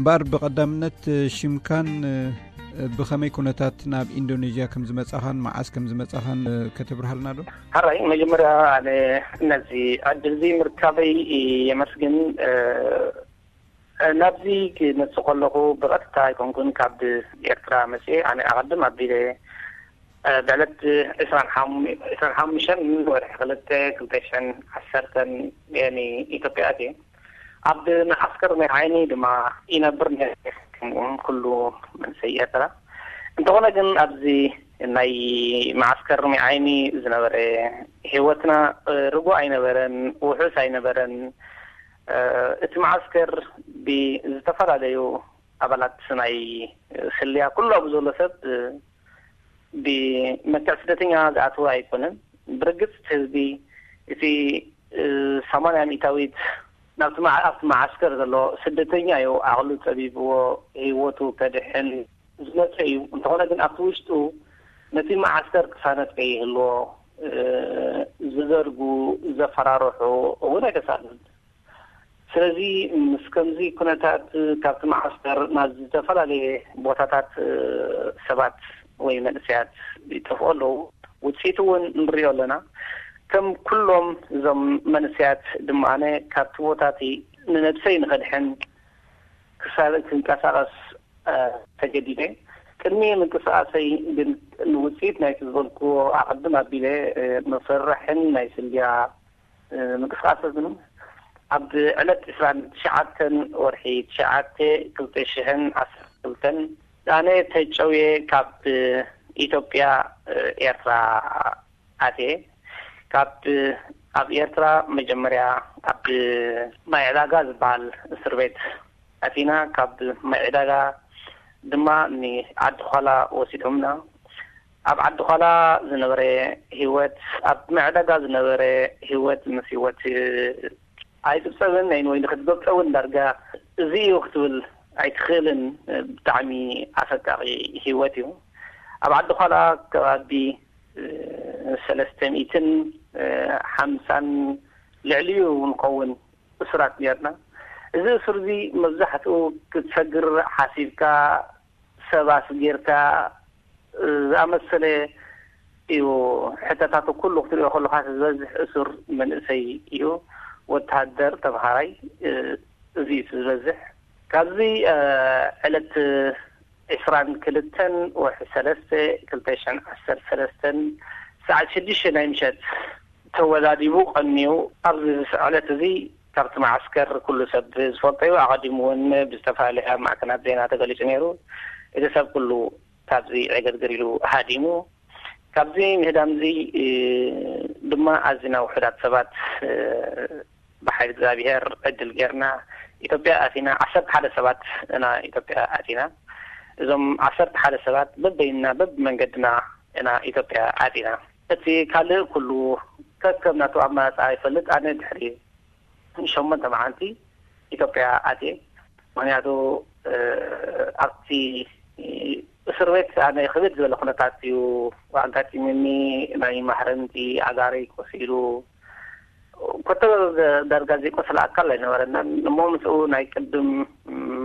ባር፣ ብቐዳምነት ሽምካን ብኸመይ ኩነታት ናብ ኢንዶኔዥያ ከም ዝመጻኻን መዓስ ከም ዝመጻኻን ከተብርሃልና ዶ? ሕራይ፣ መጀመርያ ኣነ ነዚ ዕድል እዚ ምርካበይ የመስግን። ናብዚ ክመጽእ ከለኹ ብቐጥታ ኣይኮንኩን ካብ ኤርትራ መጽኤ። ኣነ ኣቐድም ኣቢለ ብዕለት ዕስራን ሓሙሽተን ወርሒ ክልተ ክልተ ሽሕን ዓሰርተን ንኢትዮጵያ ኣትየ። ኣብ መዓስከር ናይ ዓይኒ ድማ ይነብር ነይረ፣ ከምኡውን ኩሉ መንሰይ ኤርትራ። እንተኾነ ግን ኣብዚ ናይ መዓስከር ናይ ዓይኒ ዝነበረ ህይወትና ርጉእ ኣይነበረን፣ ውሑስ ኣይነበረን። እቲ መዓስከር ብዝተፈላለዩ ኣባላት ናይ ስልያ ኩሉ ኣብ ዘሎ ሰብ ብመልክዕ ስደተኛ ዝኣተወ ኣይኮነን። ብርግጽ ህዝቢ እቲ ሰማንያ ሚእታዊት ናብቲ መዓ- ኣብቲ መዓስከር ዘሎ ስደተኛ እዩ። ዓቕሉ ጸቢብዎ ህይወቱ ከድሕን ዝመጸ እዩ። እንተኾነ ግን ኣብቲ ውሽጡ ነቲ መዓስከር ቅሳነት ከይህልዎ ዝዘርጉ፣ ዘፈራርሑ እውን ኣይተሳእኑን። ስለዚ ምስ ከምዚ ኩነታት ካብቲ መዓስከር ናብ ዝተፈላለየ ቦታታት ሰባት ወይ መንእሰያት ይጠፍኡ ኣለዉ። ውፅኢት እውን ንሪኦ ኣለና። ከም ኩሎም እዞም መንእሰያት ድማ ኣነ ካብቲ ቦታ እቲ ንነብሰይ ንኸድሕን ክሳል ክንቀሳቐስ ተገዲደ። ቅድሚ ምንቅስቃሰይ ግን ንውፅኢት ናይቲ ዝበልክዎ ኣቐድም ኣቢለ መፈርሕን ናይ ስልያ ምንቅስቃሳትን ኣብ ዕለት ዕስራን ትሽዓተን ወርሒ ትሽዓተ ክልተ ሽሕን ዓሰርተ ክልተን ኣነ ተጨውየ ካብ ኢትዮጵያ ኤርትራ ኣትየ። ካብ ኣብ ኤርትራ መጀመርያ ኣብ ማይ ዕዳጋ ዝበሃል እስር ቤት ኣቲና፣ ካብ ማይ ዕዳጋ ድማ ንዓዲ ዃላ ወሲዶምና። ኣብ ዓዲ ዃላ ዝነበረ ህይወት፣ ኣብ ማይ ዕዳጋ ዝነበረ ህይወት ምስ ህይወት ኣይጽብጸብን፣ ወይ ንክትገብጸ እውን ዳርጋ እዚ እዩ ክትብል ኣይትኽእልን። ብጣዕሚ ኣሰቃቂ ህይወት እዩ። ኣብ ዓዲ ዃላ ከባቢ ሰለስተ ሚእትን ሓምሳን ልዕሊኡ ንኸውን እሱራት ነርና። እዚ እሱር እዚ መብዛሕትኡ ክትሰግር ሓሲብካ፣ ሰብ ኣስጊርካ ዝኣመሰለ እዩ። ሕተታቱ ኩሉ ክትሪኦ ከለካ ዝበዝሕ እሱር መንእሰይ እዩ። ወተሃደር፣ ተምሃራይ፣ እዚ እዩ ዝበዝሕ። ካብዚ ዕለት ዕስራን ክልተን ወርሒ ሰለስተ ክልተ ሽሕን ዓሰርተ ሰለስተን ሰዓት ሽዱሽተ ናይ ምሸት ተወዳዲቡ ቀንዩ። ኣብዚ ዕለት እዚ ካብቲ መዓስከር ኩሉ ሰብ ዝፈልጦ እዩ። ኣቐዲሙ እውን ብዝተፈላለያ ማዕከናት ዜና ተገሊጹ ነይሩ። እቲ ሰብ ኩሉ ካብዚ ዕግርግር ኢሉ ሃዲሙ። ካብዚ ምህዳም እዚ ድማ ኣዝና ውሑዳት ሰባት ብሓይሊ እግዚኣብሔር ዕድል ጌርና ኢትዮጵያ ኣቲና። ዓሰርተ ሓደ ሰባት ኢና ኢትዮጵያ ኣቲና። እዞም ዓሰርተ ሓደ ሰባት በበይንና በብመንገድና ኢና ኢትዮጵያ ኣቲና። እቲ ካልእ ኩሉ ከከም ናቱ ኣመራጻ ይፈልጥ። ኣነ ድሕሪ ሸሞንተ መዓልቲ ኢትዮጵያ ኣትየ። ምክንያቱ ኣብቲ እስር ቤት ኣነ ክብድ ዝበለ ኩነታት እዩ ኣጋጢሙኒ። ናይ ማሕረምቲ ኣጋረይ ቆሲሉ፣ ኮተ ዳርጋ ዘይቆሰለ ኣካል ኣይነበረናን። እሞ ምስኡ ናይ ቅድም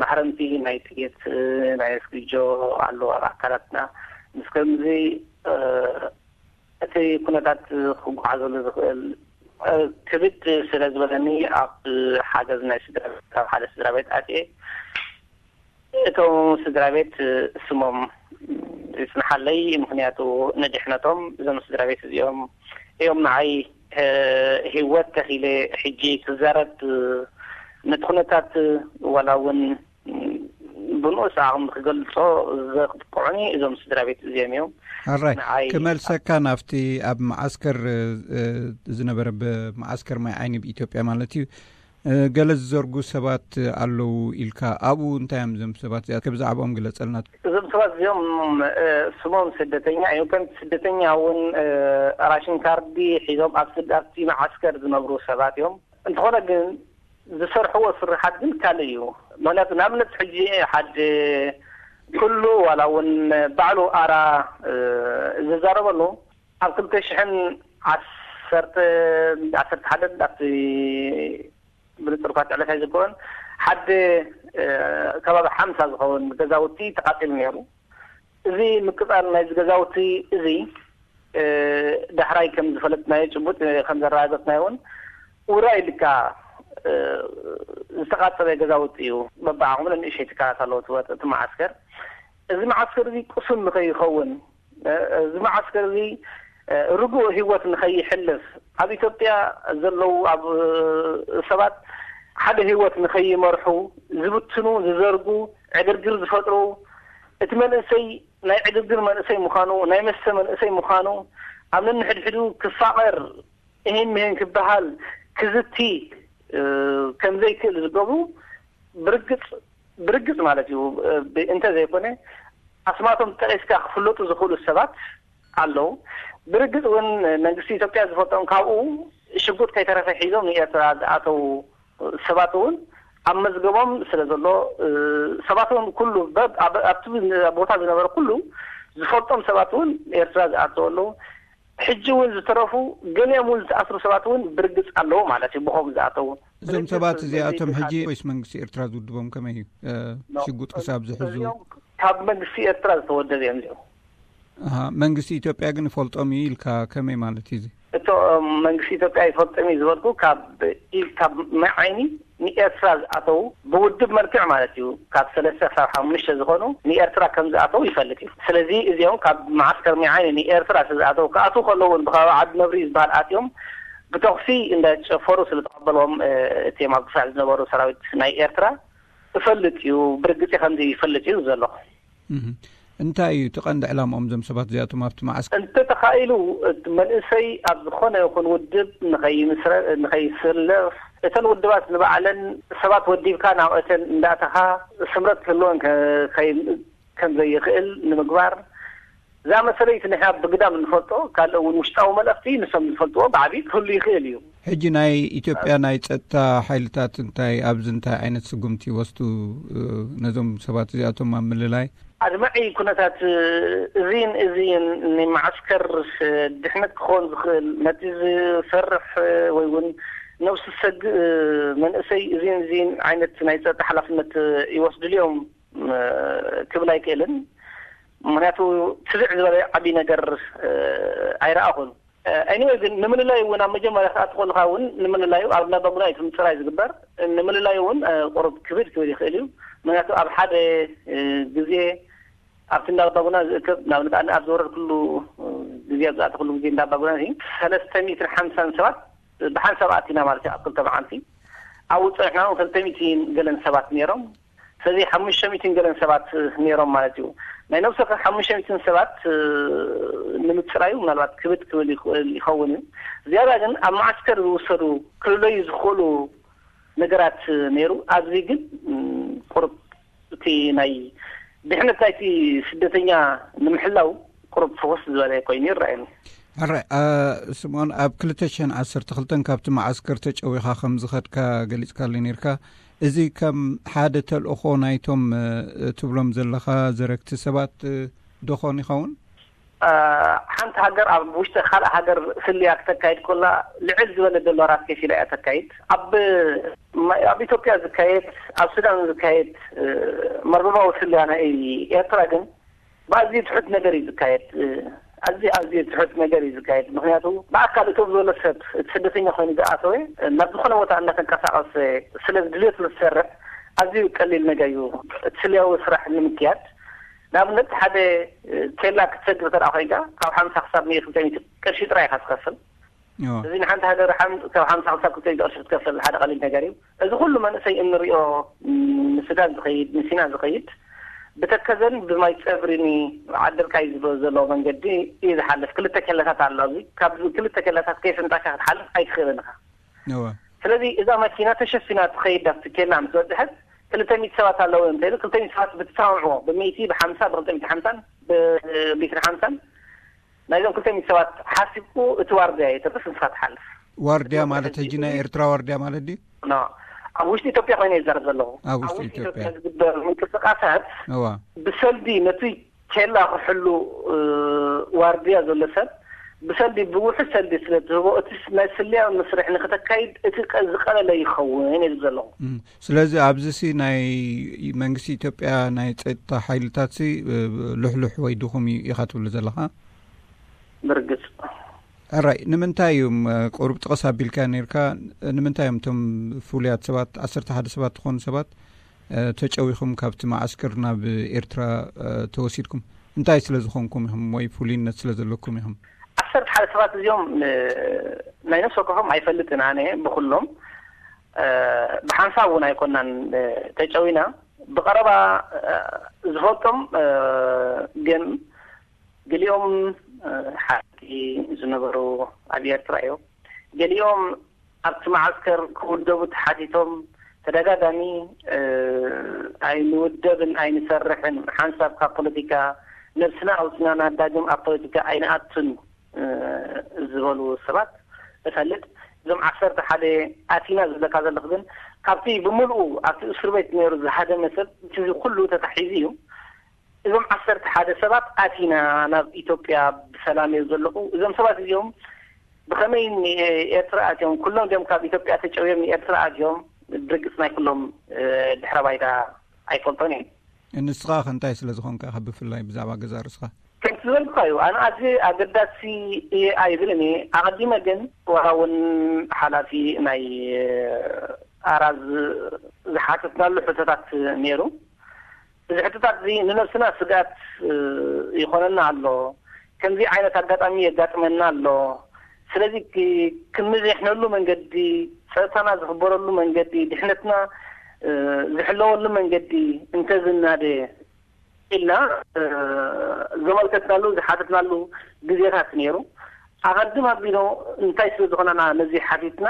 ማሕረምቲ ናይ ጥይት፣ ናይ እስክጆ ኣሎ ኣብ ኣካላትና። ምስ ከምዚ እቲ ኩነታት ክጓዓዘሉ ዝኽእል ክብድ ስለ ዝበለኒ፣ ኣብ ሓገዝ ናይ ስድራ ቤት፣ ካብ ሓደ ስድራ ቤት ኣትየ። እቶም ስድራ ቤት ስሞም ይጽንሓለይ፣ ምክንያቱ ንድሕነቶም እዞም ስድራ ቤት እዚኦም እዮም ንዓይ ህይወት ተኺለ። ሕጂ ክዛረብ ነቲ ኩነታት ዋላ እውን ብንኡስ ዓቕሚ ክገልጾ ዘብቅዑኒ እዞም ስድራ ቤት እዚኦም እዮም። ሕራይ፣ ክመልሰካ ናብቲ ኣብ መዓስከር ዝነበረ፣ ብመዓስከር ማይ ዓይኒ ብኢትዮጵያ ማለት እዩ፣ ገለ ዝዘርጉ ሰባት ኣለዉ ኢልካ፣ ኣብኡ እንታይ እዮም እዞም ሰባት እዚኣ? ብዛዕባኦም ግለጸልና። እዞም ሰባት እዚኦም ስሞም ስደተኛ እዮም። ከም ስደተኛ እውን ራሽን ካርዲ ሒዞም ኣብ ስድ- ኣብቲ መዓስከር ዝነብሩ ሰባት እዮም። እንተኾነ ግን ዝሰርሕዎ ስርሓት ግን ካልእ እዩ። ምክንያቱ ንኣብነት ሕጂ ሓደ ኩሉ ዋላ እውን ባዕሉ ኣራ ዝዛረበሉ ኣብ ክልተ ሽሕን ዓሰርተ ዓሰርተ ሓደን ኣብቲ ብንጹር እኳ እቲ ዕለት ኣይዝክሮን፣ ሓደ ከባቢ ሓምሳ ዝኸውን ገዛውቲ ተቓፂሉ ነይሩ። እዚ ምቅፃል ናይዚ ገዛውቲ እዚ ዳሕራይ ከም ዝፈለጥናዮ፣ ጭቡጥ ከም ዘረጋገፅናዮ እውን ውራይ ኢልካ ዝተቓፀለ ገዛውቲ እዩ። በብዓቕሙ ንእሽተይ ትካላት ኣለዎ እቲ መዓስከር። እዚ መዓስከር እዚ ቅሱን ንኸይኸውን፣ እዚ መዓስከር እዚ ርጉእ ህይወት ንኸይሕልፍ፣ ኣብ ኢትዮጵያ ዘለዉ ኣብ ሰባት ሓደ ህይወት ንኸይመርሑ ዝብትኑ፣ ዝዘርጉ፣ ዕግርግር ዝፈጥሩ፣ እቲ መንእሰይ ናይ ዕግርግር መንእሰይ ምዃኑ፣ ናይ መስተ መንእሰይ ምዃኑ፣ ኣብ ነንሕድሕዱ ክፋቐር፣ እሂን ምሂን ክበሃል፣ ክዝቲ ከም ዘይክእል ዝገብሩ ብርግፅ ብርግፅ ማለት እዩ። እንተዘይኮነ ኣስማቶም ጠቂስካ ክፍለጡ ዝኽእሉ ሰባት ኣለዉ። ብርግፅ እውን መንግስቲ ኢትዮጵያ ዝፈልጦም፣ ካብኡ ሽጉጥ ከይተረፈ ሒዞም ንኤርትራ ዝኣተዉ ሰባት እውን ኣብ መዝገቦም ስለ ዘሎ፣ ሰባት እውን ኩሉ በብ-፣ ኣብ-፣ ኣብቲ ቦታ ዝነበረ ኩሉ ዝፈልጦም ሰባት እውን ኤርትራ ዝኣተዉ ኣለዉ። ሕጂ እውን ዝተረፉ ገሊኦም እውን ዝተኣስሩ ሰባት እውን ብርግፅ ኣለዉ ማለት እዩ፣ ብኸምኡ ዝኣተዉ። እዞም ስለዚ ሰባት እዚ እዚኣቶም ሕጂ ካብ ወይስ መንግስቲ ኤርትራ ዝውድቦም ከመይ እዩ? እ፣ ኖ፣ ሽጉጥ ክሳብ ዝሕዙ? እዚኦም ካብ መንግስቲ ኤርትራ ዝተወደቡ እዮም እዚኦም። ኣሃ፣ መንግስቲ ኢትዮጵያ ግን ይፈልጦም እዩ ኢልካ ከመይ ማለት እዩ እዚ? እቶ መንግስቲ ኢትዮጵያ ይፈልጦም እዩ ዝበልኩ ካብ ኢ-፣ ካብ ማይ ዓይኒ ንኤርትራ ዝኣተዉ ብውድብ መልክዕ ማለት እዩ፣ ካብ ሰለስተ ክሳብ ሓሙሽተ ዝኾኑ ንኤርትራ ከም ዝኣተዉ ይፈልጥ እዩ። ስለዚ እዚኦም ካብ መዓስከር ማይ ዓይኒ ንኤርትራ ስለ ዝኣተዉ፣ ክኣትዉ ከለዉ እውን ብከባቢ ዓዲ ነብሪ ዝበሃል ኣትዮም ብተኹሲ እንዳጨፈሩ ስለ ተቐበልዎም፣ እ፣ እቲኦም ኣብ ድፋዕ ዝነበሩ ሰራዊት ናይ ኤርትራ እፈልጥ እዩ፣ ብርግፂ ከምዚ ይፈልጥ እዩ ዘሎ። እህ። እንታይ እዩ እቲ ቀንዲ ዕላምኦም እዞም ሰባት እዚኣቶም ኣብቲ መዓስከር? እንተተኻኢሉ እቲ መንእሰይ ኣብ ዝኾነ ይኹን ውድብ ንኸይምስረ-፣ ንኸይስለፍ፣ እተን ውድባት ንባዕለን ሰባት ወዲብካ ናብ እተን እንዳእተኻ ስምረት ክህልወን ከ-፣ ከይ-፣ ከም ዘይኽእል ንምግባር፣ እዛ መሰለይቲ ንሕና ብግዳም እንፈልጦ፣ ካልእ እውን ውሽጣዊ መልእኽቲ ንሶም ዝፈልጥዎ ብዓብዪ ክህሉ ይኽእል እዩ። ሕጂ ናይ ኢትዮጵያ ናይ ጸጥታ ሓይልታት እንታይ፣ ኣብዚ እንታይ ዓይነት ስጉምቲ ይወስዱ፣ እ፣ ነዞም ሰባት እዚኣቶም ኣብ ምልላይ? ኣድማዒ ኩነታት፣ እ፣ እዚን እዚን ንመዓስከር፣ እ፣ ድሕነት ክኸውን ዝኽእል፣ ነቲ ዝሰርሕ፣ እ፣ ወይ እውን ነብሱ ዝሰግእ፣ እ፣ መንእሰይ እዚን እዚን ዓይነት ናይ ጸጥታ ሓላፍነት፣ እ፣ ይወስድሉ እዮም፣ እ፣ ክብል ኣይክእልን። ምኽንያቱ ትብዕ ዝበለ ዓብዪ ነገር፣ እ፣ ኣይረኣኹን። እ፣ ኤኒወይ ግን ንምልላዩ እውን ኣብ መጀመርያ ክትኣቱ ከለኻ እውን ንምልላዩ ኣብ እንዳባጉና እዩ እቲ ምፅራይ ዝግበር። ንምልላዩ እውን፣ እ፣ ቁሩብ ክብድ ክብል ይኽእል እዩ። ምኽንያቱ ኣብ ሓደ፣ እ፣ ግዜ ኣብቲ እንዳባጉና ዝእከብ፣ ንኣብነት ኣነ ኣብ ዝወረድኩሉ፣ እ፣ ግዜ፣ ኣብ ዝኣተኹሉ ግዜ እንዳባጉና እዚ ሰለስተ ሚእትን ሓምሳን ሰባት ብሓንሳብ ኣቲና ማለት እዩ ኣብ ክልተ መዓልቲ። ኣብኡ ፀኒሕና እውን ክልተ ሚእትን ገለን ሰባት ነይሮም። ስለዚ ሓሙሽተ ሚእትን ገለን ሰባት ነይሮም ማለት እዩ። ናይ ነብሲ ወከፍ ሓሙሽተ ሚእትን ሰባት፣ እ፣ ንምፅራዩ ምናልባት ክብድ ክብል ይኽእል ይኸውን እዩ። ዝያዳ ግን ኣብ መዓስከር ዝውሰዱ ክልለዩ ዝኽእሉ ነገራት ነይሩ። ኣብዚ ግን፣ ም፣ ቁሩብ እቲ ናይ ድሕነት ናይቲ ስደተኛ ንምሕላው ቁሩብ ፍኹስ ዝበለ ኮይኑ ይረኣየኒ። ሕራይ፣ እ፣ ስምኦን፣ ኣብ ክልተ ሽሕን ዓሰርተ ክልተን ካብቲ መዓስከር ተጨዊኻ ከም ዝኸድካ ገሊጽካለይ ነይርካ። እዚ ከም ሓደ ተልእኾ ናይቶም፣ እ፣ ትብሎም ዘለኻ ዘረግቲ ሰባት፣ እ፣ ዶ ኾን ይኸውን? እ፣ ሓንቲ ሃገር ኣብ ውሽጢ ካልእ ሃገር ስልያ ክተካይድ ኮላ ልዕል ዝበለ ዶላራት ከፊላ እያ ተካይድ። ኣብ፣ ኣብ ኢትዮጵያ ዝካየድ፣ ኣብ ሱዳን ዝካየድ፣ እ፣ መርበባዊ ስልያ ናይ ኤርትራ ግን ብኣዝዩ ትሑት ነገር እዩ ዝካየድ። እ፣ ኣዝዩ፣ ኣዝዩ ትሑት ነገር እዩ ዝካየድ። ምኽንያቱ ብኣካል እቶም ዝበሎ ሰብ፣ እቲ ስደተኛ ኮይኑ ዝኣተወ፣ ናብ ዝኾነ ቦታ እናተንቀሳቐሰ፣ ስለ ድልየቱ ዝሰርሕ፣ ኣዝዩ ቀሊል ነገር እዩ እቲ ስልያዊ ስራሕ ንምክያድ። ንኣብነት፣ ሓደ፣ እ፣ ኬላ ክትሰግር እንተ ደኣ ኮይንካ፣ ካብ ሓምሳ ክሳብ ሚእቲ፣ ክልተ ሚእቲ ቅርሺ ጥራይ ኢኻ ትኸፍል። እዎ። እዚ ንሓንቲ ሃገር ሓም-፣ ካብ ሓምሳ ክሳብ ክልተ ሚእቲ ቅርሺ ክትከፍል ሓደ ቀሊል ነገር እዩ። እዚ ኩሉ መንእሰይ እንሪኦ፣ ም፣ ንሱዳን ዝኸይድ፣ ንሲና ዝኸይድ፣ ብተከዘን ብማይ ጸብሪን ዓደርቃይ ዝብሎ ዘሎ መንገዲ እዩ ዝሓልፍ። ክልተ ኬላታት ኣሎ ኣብዚ። ካብ ክልተ ኬላታት ከይፈንጣካ ክትሓልፍ ኣይትኽእልን ኢኻ። እወ። ስለዚ እዛ መኪና ተሸፊና ትኸይድ ኣብቲ ኬላ ምስ በጽሐት፣ ክልተ ሚእቲ ሰባት ኣለዉ እንተኢሉ፣ ክልተ ሚእቲ ሰባት ብትሰማምዕዎ፣ ብሚእቲ፣ ብሓምሳ፣ ብክልተ ሚእቲ ሓምሳን፣ ብሚእትን ሓምሳን፣ ናይዞም ክልተ ሚእቲ ሰባት ሓሲብኩ እቲ ዋርድያ ይተርፍ፣ ንስኻ ትሓልፍ። ዋርድያ እዚ ማለት ሕጂ ሕጂ ናይ ኤርትራ ዋርድያ ማለት ድዩ? ኖ፣ ኣብ ውሽጢ ኢትዮጵያ ኮይነ ይዛረብ ዘለኹ። ኣብ ኣብ ውሽጢ ውሽጢ ኢትዮጵያ። ኢትዮጵያ ዝግበር ምንቅስቃሳት እዋ። ብሰልዲ ነቲ ኬላ ክሕሉ፣ እ፣ ዋርድያ ዘሎ ሰብ ብሰልዲ፣ ብውሑድ ሰልዲ ስለ ትህቦ፣ እቲ ናይ ስልያዊ መስርሕ ንክተካይድ እቲ ቀ- ዝቀለለ ይኸውን ኢሉ ዘለኹ። እም፣ ስለዚ ኣብዚ ሲ ናይ መንግስቲ ኢትዮጵያ ናይ ጸጥታ ሓይልታት ሲ እ፣ ልሕሉሕ ወይ ድኹም እዩ ኢኻ ትብሉ ዘለኻ? ብርግጽ። ሕራይ፣ ንምንታይ እዮም እ፣ ቁሩብ ጥቕስ ኣቢልካ ነርካ? ንምንታይ እዮም እቶም ፍሉያት ሰባት፣ ዓሰርተ ሓደ ሰባት ዝኾኑ ሰባት እ፣ ተጨዊኹም ካብቲ መዓስከር ናብ ኤርትራ እ፣ ተወሲድኩም? እንታይ ስለ ዝኾንኩም ኢኹም ወይ ፍሉይነት ስለ ዘለኩም ኢኹም? ዓሰርተ ሓደ ሰባት እዚኦም እ፣ ናይ ነፍሲ ወከፎም ኣይፈልጥን ኣነ ብኩሎም እ፣ ብሓንሳብ እውን ኣይኮናን እ፣ ተጨዊና። ብቐረባ እ፣ ዝፈልጦም እ፣ ግን ገሊኦም እ፣ ሓቂ ዝነበሩ ኣብ ኤርትራ እዮም። ገሊኦም ኣብቲ መዓስከር ክውደቡ ተሓቲቶም ተደጋጋሚ እ፣ ኣይንውደብን ኣይንሰርሕን፣ ሓንሳብ ካብ ፖለቲካ ነብስና ኣውፅና ናዳግም ኣብ ፖለቲካ ኣይንኣቱን እ፣ ዝበሉ ሰባት እፈልጥ። እዞም ዓሰርተ ሓደ ኣቲና ዝብለካ ዘለኹ ግን ካብቲ ብምልኡ ኣብቲ እስር ቤት ነይሩ ዝሃደመ ሰብ እቲ ኩሉ ተታሒዙ እዩ። እዞም ዓሰርተ ሓደ ሰባት ኣቲና ናብ ኢትዮጵያ ብሰላም እዮም ዘለኹ። እዞም ሰባት እዚኦም ብኸመይ ንኤርትራ ኣትዮም? ኩሎም ድዮም ካብ ኢትዮጵያ ተጨውዮም ንኤርትራ ኣትዮም? ብርግጽ ናይ ኩሎም እ፣ ድሕረ ባይታ ኣይፈልጦን እየ። ንስኻ ከ እንታይ ስለ ዝኾንካ ኢኻ ብፍላይ ብዛዕባ ገዛ ርእስኻ? ከምቲ ዝበልኩኻ እዩ። ኣነ ኣዝየ ኣገዳሲ እየ ኣይብልን እየ። ኣቐዲመ ግን ዋላ እውን ሓላፊ ናይ ኣራዝ ዝሓተትናሉ ሕቶታት ነይሩ። እዚ ሕቶታት እዚ ንነብስና ስግኣት እ፣ ይኾነና ኣሎ። ከምዚ ዓይነት ኣጋጣሚ የጋጥመና ኣሎ። ስለዚ ክ- ክንዝሕነሉ መንገዲ፣ ጸጥታና ዝኽበረሉ መንገዲ፣ ድሕነትና እ፣ ዝሕለወሉ መንገዲ እንተዝናደ ኢልና እ፣ ዘመልከትናሉ ዝሓተትናሉ ግዜታት ነይሩ። ኣቐድም ኣቢሉ እንታይ ስለ ዝኾነና ነዚ ሓቲትና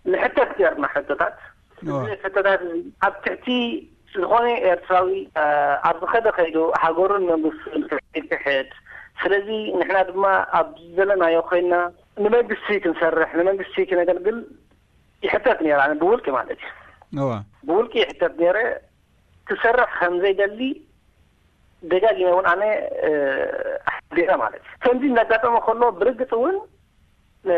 ንሕተት ገርና ሕቶታት። እዋ። እዚ ሕቶታት እዚ ኣብ ትሕቲ ዝኾነ ኤርትራዊ እ፣ ኣብ ዝኸደ ከይዱ ሃገሩን መንግስቱን ክሕድ። ስለዚ ንሕና ድማ ኣብ ዘለናዮ ኮይና ንመንግስቲ ክንሰርሕ ንመንግስቲ ክነገልግል ይሕተት ነይረ። ኣነ ብውልቂ ማለት እዩ። እዋ። ብውልቂ ይሕተት ነይረ። ክሰርሕ ከም ዘይደሊ ደጋጊመ እውን ኣነ እ፣ ኣሕቢረ ማለት እዩ። ከምዚ እናጋጠመ ከሎ ብርግጽ እውን እ፣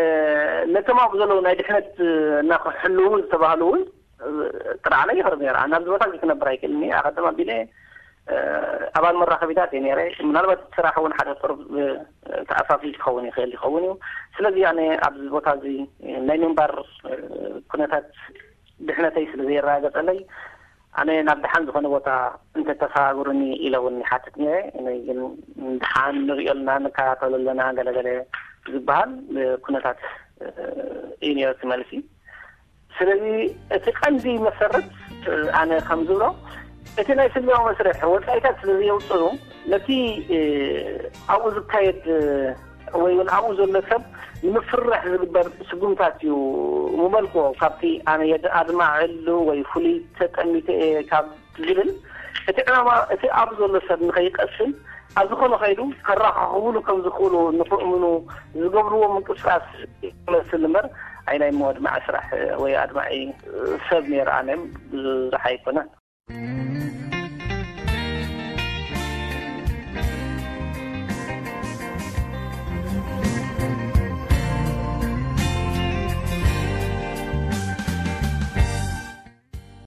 ነቶም ኣብኡ ዘለዉ ናይ ድሕነት እ፣ እና ክሕልዉ ዝተባህሉ እውን እ፣ ጥርዓነ ይኸርብ ነይረ። ኣነ ኣብዚ ቦታ እዚ ክነብር ኣይክእልን እየ። ኣቐድም ኣቢለ እ፣ ኣባል መራኸቢታት እየ ነይረ። ምናልባት ስራሕ እውን ሓደ ቁሩብ እ፣ ተኣፋፊ ክኸውን ይኽእል ይኸውን እዩ። ስለዚ ኣነ ኣብዚ ቦታ እዚ ናይ ምንባር እ፣ ኩነታት ድሕነተይ ስለ ዘየረጋገጸለይ ኣነ ናብ ደሓን ዝኾነ ቦታ እንተተሰጋግሩኒ ኢለ እውን ይሓትት ነይረ። እኔ ግን ደሓን ንሪኦ ኣለና፣ ንከታተሎ ኣለና ገለገለ ዝበሃል እ፣ ኩነታት እ፣ እዩ ነይሩ እቲ መልሲ። ስለዚ እቲ ቀንዲ መሰረት እ፣ ኣነ ከም ዝብሎ እቲ ናይ ስልያዊ መስርሕ ወጻኢታት ስለ ዘየውፅኡ ነቲ እ፣ ኣብኡ ዝካየድ እ፣ ወይ እውን ኣብኡ ዘሎ ሰብ ንምፍርራሕ ዝግበር ስጉምታት እዩ ምመልክዎ። ካብቲ ኣነ የድ ኣድማዕሉ ወይ ፍሉይ ተጠሚተ እየ ካብ ዝብል እቲ ዕላማ እቲ ኣብ ዘሎ ሰብ ንኸይቀስን ኣብ ዝኾነ ከይዱ ከራኻኽብሉ ከም ዝኽእሉ ንኽእምኑ ዝገብርዎ ምንቅስቃስ ይመስል እምበር ኣይ ናይ ኣድማዒ ስራሕ ወይ ኣድማዒ ሰብ ነይረ ኣነ ብዙሕ ኣይኮነን።